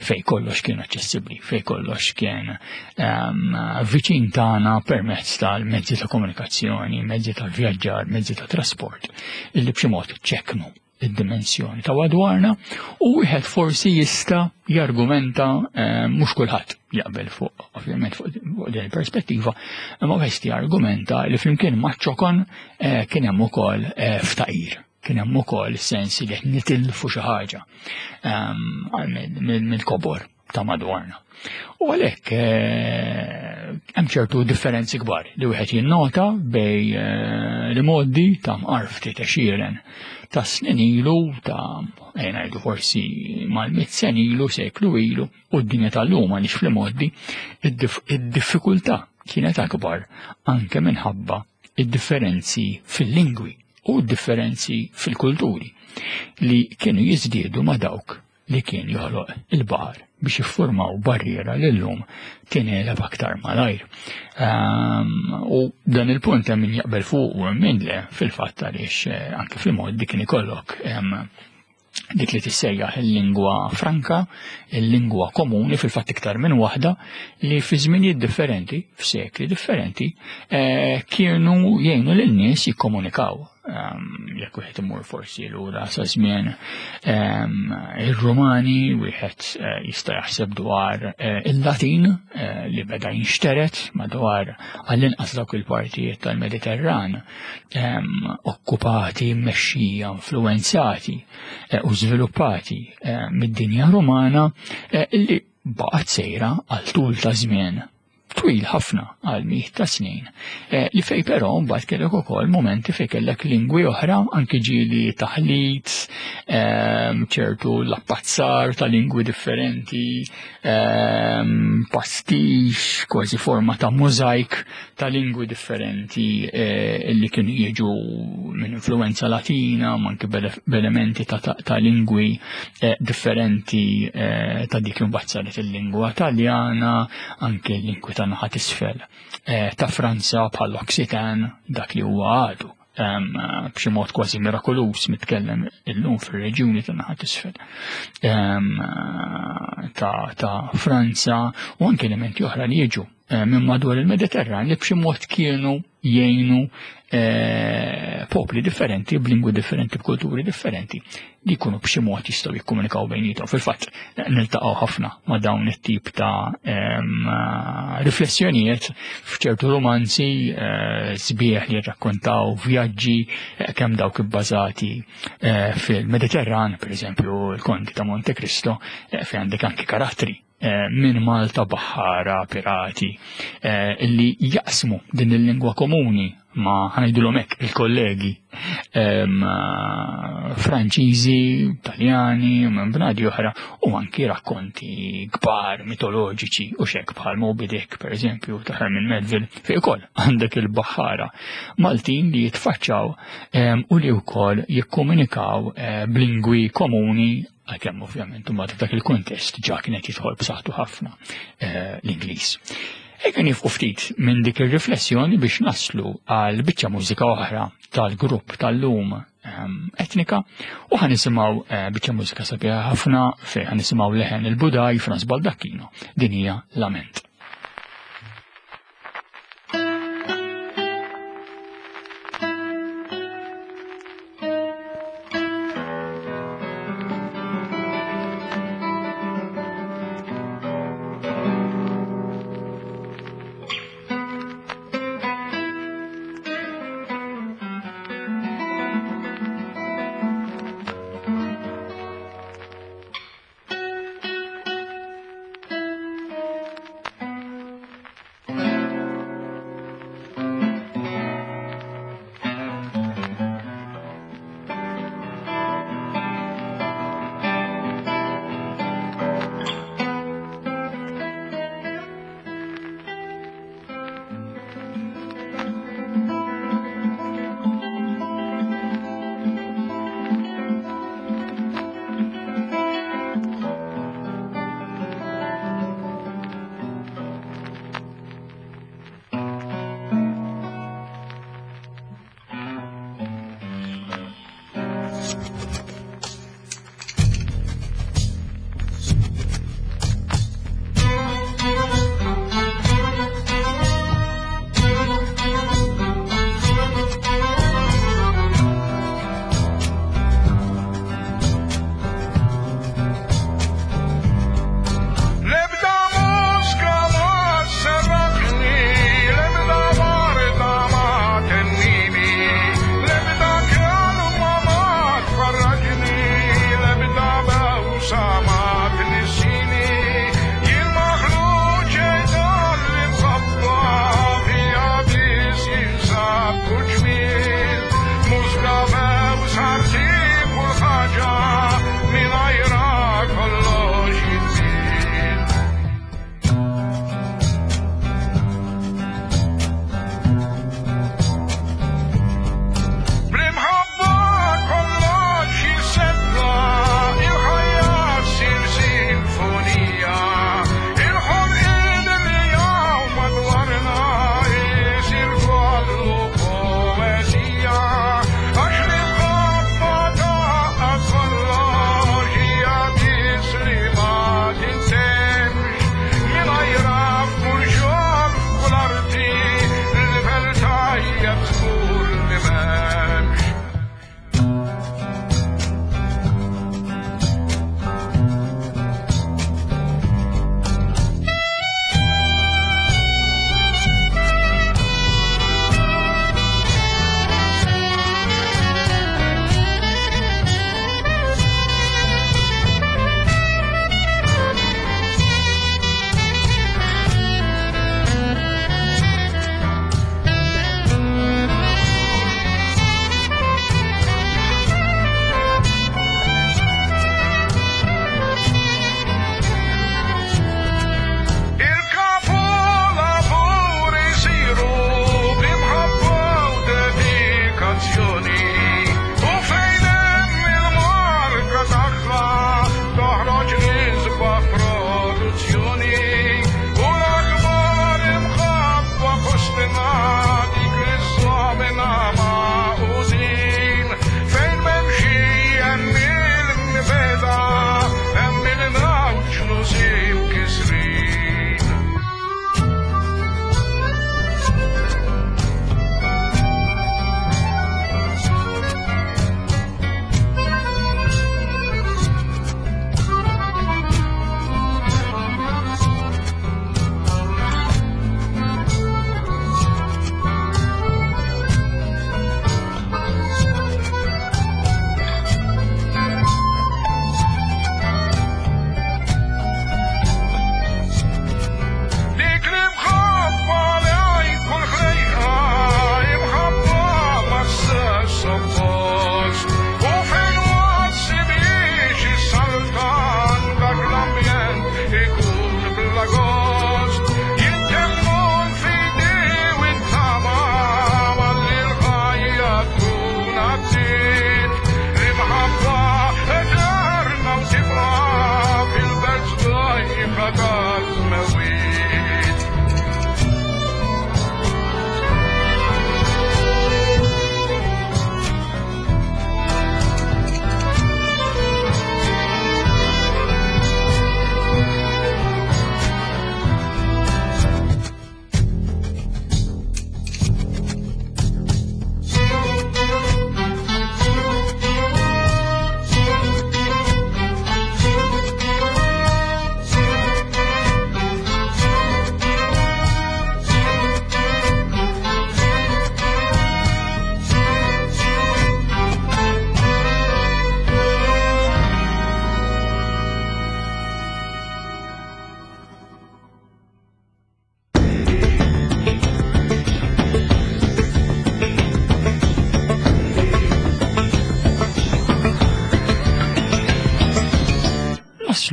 fej kollox kien aċċessibbli, fej kollox kien ehm, viċin tagħna permezz tal-mezzi ta' komunikazzjoni, mezzi ta' vjaġġar, mezzi ta' trasport, illi b'xi mod ċeknu id-dimensjoni ta' madwarna u wieħed forsi jista' jargumenta eh, mhux kulħadd jaqbel fuq ovvjament fuq din il-perspettiva, imma wieħed jargumenta li flimkien maċ-ċokon eh, kien hemm ukoll eh, ftaqir kien hemm ukoll sens li qed nitilfu xi ħaġa ehm, mill-kobor ta' madwarna. U għalhekk eh, hemm ċertu differenzi kbar li wieħed jinnota bej eh, li moddi ta' mqar ftit għexieren ta' snin ilu ta' eh, ngħidu forsi mal-mit sen ilu, seklu ilu u d-dinja tal-lum għaliex fl-modi id-diffikultà kienet akbar anke minħabba id-differenzi fil-lingwi u d-differenzi fil-kulturi li kienu jiżdiedu ma' dawk li kien joħloq il-baħar biex jiffurmaw barriera li llum tingħeleb aktar malajr. Ehm, u dan il-punt hemm min jaqbel fuq u hemm min le fil-fatt għaliex eh, anke fil-mod kien ikollok ehm, dik li tissejjaħ il-lingwa franka, il-lingwa komuni fil-fatt iktar minn waħda li fi żminijiet differenti, f'sekli differenti, eh, kienu jgħinu lin-nies jikkomunikaw. Ehm, jekk wieħed imur forsi lura sa żmien ehm, ir-Rumani, wieħed eh, jista' jaħseb dwar eh, il-Latin eh, li beda jinxteret madwar għall-inqas dawk il-partijiet tal-Mediterran ehm, okkupati, mmexxija, influenzati u żviluppati mid-dinja Rumana li baqgħet sejra għal tul ta' żmien twil ħafna għal mijiet ta' snin, eh, li fej però mbagħad kellek ukoll momenti fej kellek lingwi oħra anki ġieli taħlit, ehm, ċertu l-appazzar ta' lingwi differenti, ehm, pastix, kważi forma ta' mużajk ta' lingwi differenti eh, li kienu jiġu minn influenza latina, ma anki b'elementi ta' lingwi eh, differenti ta' dik li mbagħad saret il-lingwa Taljana, anke l-lingwi ta' naħa t'isfel eh, ta' Franza bħal Occitan dak li huwa għadu b'xi mod kważi mirakoluż mitkellem illum fir-reġjuni ta' naħa t'isfel ta' Franza u anke elementi oħra li jiġu eh, minn madwar il-Mediterran li b'xi mod kienu jgħinu eh, popli differenti, b'lingwi differenti, b'kulturi differenti, li jkunu b'xi mod jistgħu jikkomunikaw bejnietom. Fil-fatt, niltaqgħu ħafna ma' dawn it-tip ta' riflessjonijiet f'ċertu romanzi eh, sbieħ li jirrakkontaw vjaġġi eh, kemm dawk ibbażati fil-Mediterran, per eżempju, il-Konti ta' Monte Cristo, fejn għandek anki karattri Eh, minn Malta baħħara, pirati, eh, illi jaqsmu din il-lingwa komuni ma ħanajdulhom hekk il-kollegi eh, Franċiżi, Taljani, minn bnadi oħra u anki rakkonti kbar mitoloġiċi u xek bħal Moby Dick pereżempju ta' Herman Melville fi ukoll għandek il-baħħara Maltin li jitfaċċaw u li wkoll jikkomunikaw b'lingwi komuni għalkemm ovvjament imbagħad f'dak il-kuntest ġa kienet jidħol b'saħħtu ħafna eh, l-Ingliż. Ejja nifqu ftit minn dik ir-riflessjoni biex naslu għal biċċa mużika oħra tal-grupp tal-lum ehm, etnika u ħanisimgħu eh, biċċa mużika sabiħa ħafna fejn ħanisimgħu leħen il-Budaj Franz Baldacchino din hija Lament.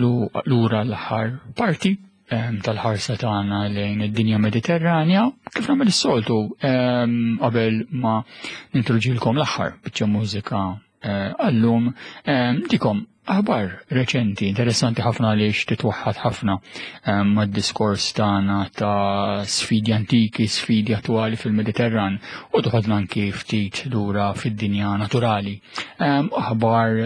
Naslu lura l-aħħar parti tal-ħarsa tagħna lejn id-dinja Mediterranja, kif nagħmel is-soltu qabel ma nintroġilkom l-aħħar biċċa mużika eh, għallum dikom aħbar reċenti interessanti ħafna għaliex titwaħħad ħafna mad-diskors tagħna ta' sfidi antiki, sfidi attwali fil-Mediterran u toħodna anki ftit lura fid-dinja naturali. Aħbar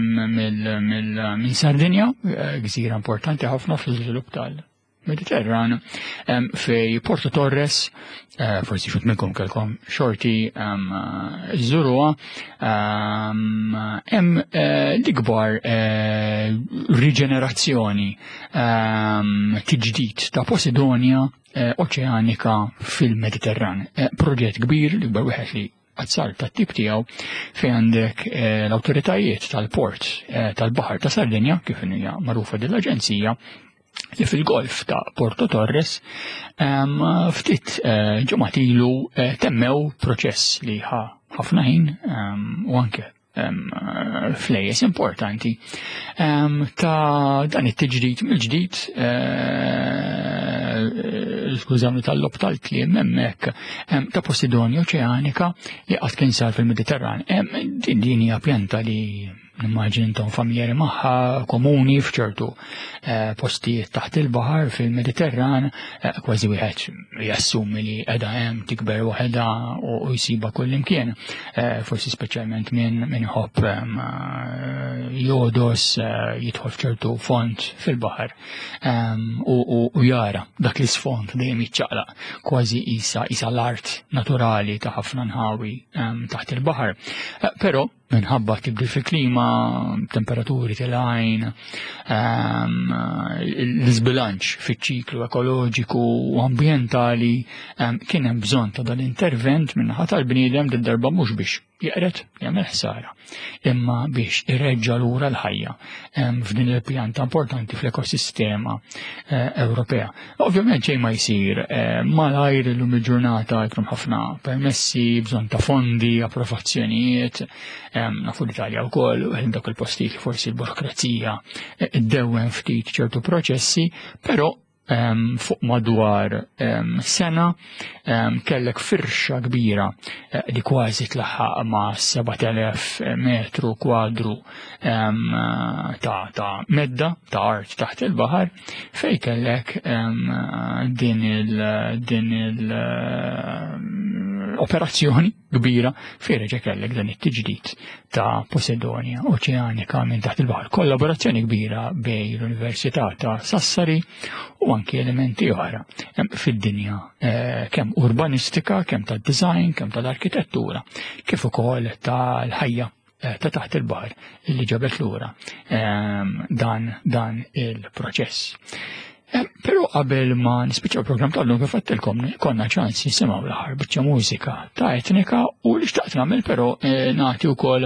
minn Sardinja, eh, gżira importanti ħafna fl-iżvilupp tal-Mediterran, fej Porto Torres, eh, forsi xut minnkom kelkom xorti żuruha, hemm eh, l-ikbar riġenerazzjoni tiġdid ta' Posidonia oċeanika fil-Mediterran. Proġett kbir, l-ikbar wieħed li azzar tat-tip tiegħu fejn għandek eh, l-awtoritajiet tal-port eh, tal-Baħar ta' Sardinja, kif hija magħrufa din l-aġenzija, li fil-golf ta' Porto Torres ftit eh, ġimgħat ilu temmew proċess li ħa ħafna ħin u anke flejjes importanti ta' dan it-tiġdid mill-ġdid eh, skużawni tal-lob tal-kliem hemmhekk ta' Posidonia oċeanika li qatt kien sar fil-Mediterran. Din din hija pjanta li nimmaġin intom familjari magħha komuni f'ċertu eh, postijiet taħt il-baħar fil-Mediterran, eh, kważi wieħed jassumi li qiegħda hemm tikber waħedha u jsibha kullimkien, eh, forsi speċjalment minn min iħobb jodos jidħol f'ċertu fond fil-baħar u jara dak l-isfond dejjem jiċċaqlaq kważi isa isa l-art naturali ta' ħafna nħawi taħt il-baħar. Però minħabba tibdil fil-klima, temperaturi tilgħin, ehm, l-iżbilanċ fiċ-ċiklu ekoloġiku u ambjentali ehm, kien hemm bżonn ta' dan intervent minnaħa tal-bniedem din darba mhux biex jeqret jagħmel ħsara, imma biex ireġġa' lura l-ħajja ehm, f'din il-pjanta importanti fl-ekosistema eh, Ewropea. Ovvjament xejn ma jsir eh, malajr illum il-ġurnata jkun ħafna permessi, bżonn ta' fondi, approvazzjonijiet, nafu l-Italja wkoll, u dak il-postijiet li forsi l-burokrazija eh, iddewwem ftit ċertu proċessi, però fuq madwar sena kellek firxa kbira eh, li kważi tlaħħaq ma' 7000 metru kwadru ta', ta medda ta' art taħt il-baħar fej kellek din il din il operazzjoni kbira fej reġa' kellek dan it-tiġdid ta' Posidonia Oċeanika minn taħt il-baħar. Kollaborazzjoni kbira bej l-Università ta' Sassari u anki elementi oħra fid-dinja eh, kemm urbanistika, kemm tad-design, kemm tal-arkitettura, kif ukoll tal-ħajja Eh, ta' taħt il-baħar illi ġabet lura ehm, dan dan il-proċess. Eh, però qabel ma nispiċċaw program tal-lum kif għattilkom konna ċans nisimgħu l-aħħar biċċa mużika ta' etnika u li xtaqt nagħmel però eh, nagħti wkoll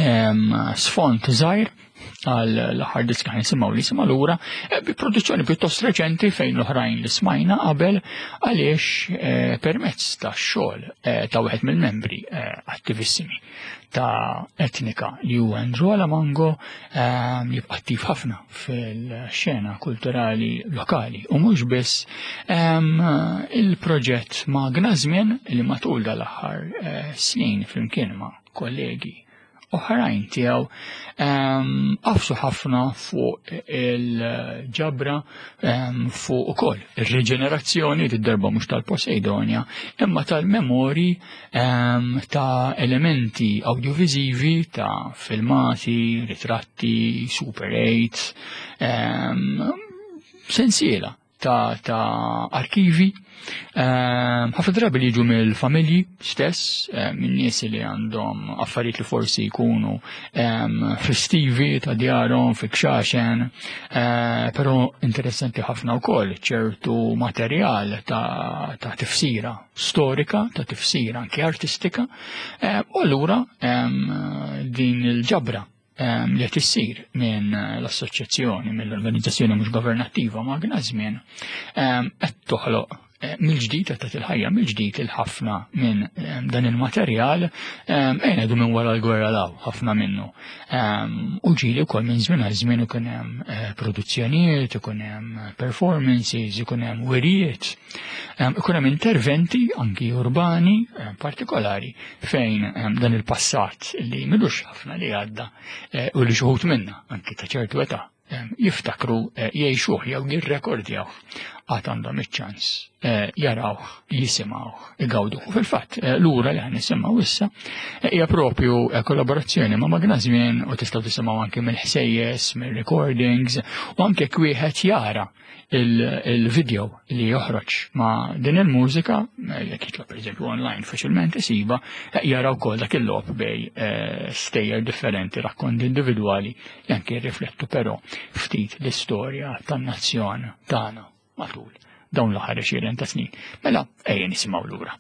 ehm, sfond żgħir għal l-aħħar diska nisimgħu li sima lura eh, bi produzzjoni pjuttost reċenti fejn l-oħrajn li smajna qabel għaliex eh, permezz ta' xogħol eh, ta' wieħed mill-membri attivissimi ta' etnika li huwa Andrew Alamango jibqa' attiv ħafna fil-xena kulturali lokali u mhux biss il-proġett ma' Gnażmien li matul dal-aħħar snin flimkien ma' kollegi oħrajn tiegħu ehm, qafsu ħafna fuq il-ġabra ehm, fuq ukoll ir-riġenerazzjoni darba mhux tal-Poseidonia imma tal-memori ehm, ta' elementi audiovisivi ta' filmati, ritratti, Super 8, sensiela ta', ta arkivi, ehm, ħafna drabi li jiġu mill-familji stess, eh, minn nies li għandhom affarijiet li forsi jkunu ehm, festivi ta' djarhom, fi kxaxen, eh, però interessanti ħafna wkoll ċertu materjal ta', ta tifsira storika, ta' tifsira anke artistika, eh, u allura ehm, din il-ġabra li qed issir minn l-assoċjazzjoni, mill-organizzazzjoni mhux governattiva Magna Żmien qed toħloq mill-ġdid qed tagħti l-ħajja mill-ġdid il ħafna minn dan il-materjal ngħidu minn wara l-gwerra law ħafna minnu. U ġieli wkoll minn żmien għal żmien ikun hemm produzzjonijiet, ikun hemm performances, ikun hemm wirijiet, ikun hemm interventi anki urbani partikolari fejn dan il-passat li milux ħafna li għadda u li xuħut minna anki ta' ċertu età jiftakru jgħixuh jew jirrekordjawh għad għandhom iċ-ċans jarawh, jisimgħuh, igawduh. U fil-fatt, lura li nisimgħu issa hija propju kollaborazzjoni ma' Magna Żmien u tistgħu tisimgħu anke mill-ħsejjes, mill-recordings u anke wieħed jara il-video li joħroġ ma' din il-mużika, jekk jitlob pereżempju online faċilment isiba, jara wkoll dak il-logħob bej stejjer differenti, rakkonti individwali li anke jirriflettu però ftit l-istorja tan-nazzjon tagħna matul dawn l-aħħar 20 ta' snin. Mela, ejja nisimgħu lura.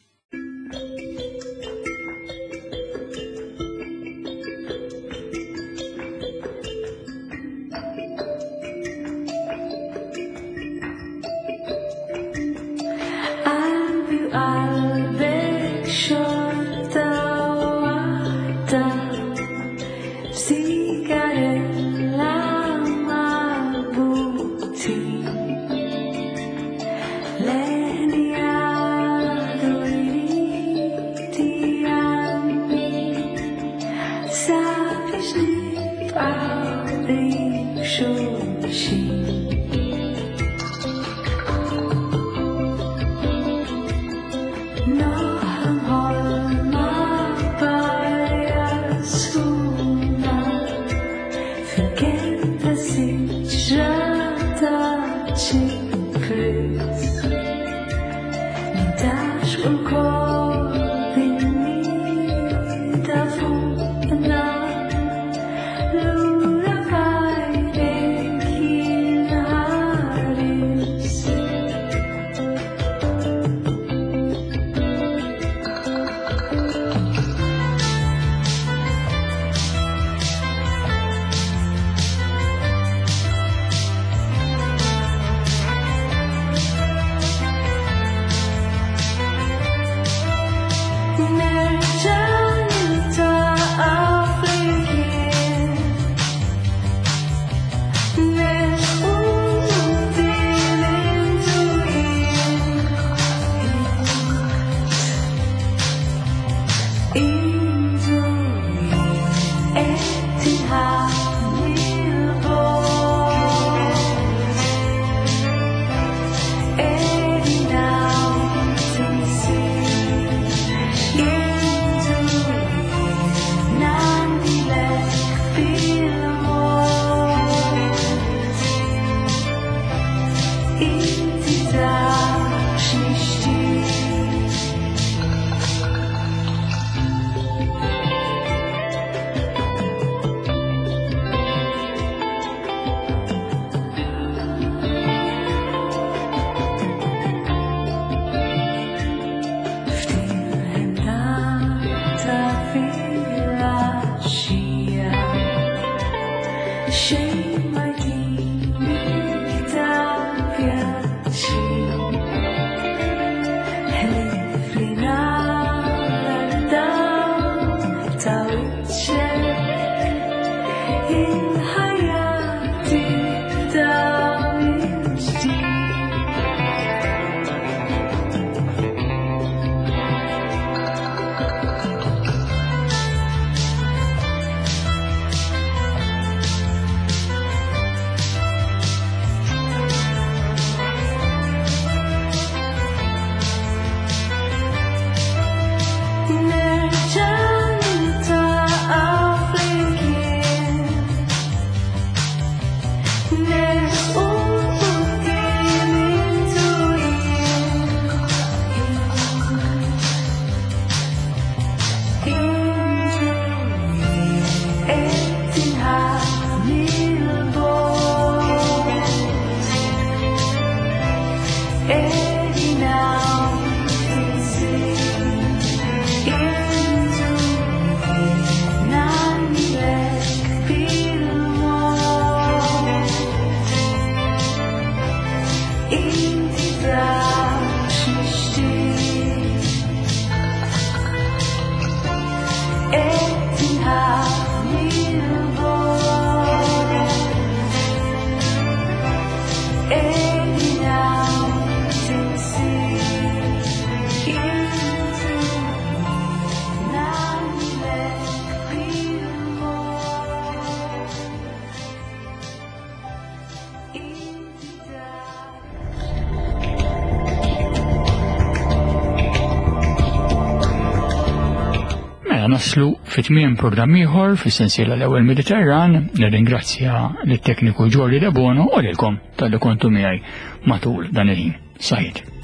Qalbi u qalbek xorta waħda b'sigarella marbutin. Leħni għadu jrid jgħanni sabiex nibqgħu qrib xulxin. Noħlom ħolma b'arja sħuna fil-kenn ta' siġra ta' ċipris. Nintgħaxqu lkoll bin-nida fuqna, lura f'għajnejk jien. Mela naslu fit-tmiem programm ieħor fis-sensiela l-ewwel Mediterran, nirringrazzja lit-tekniku Ġordi Debono u lilkom talli kontu miegħi matul dan il-ħin. Saħit.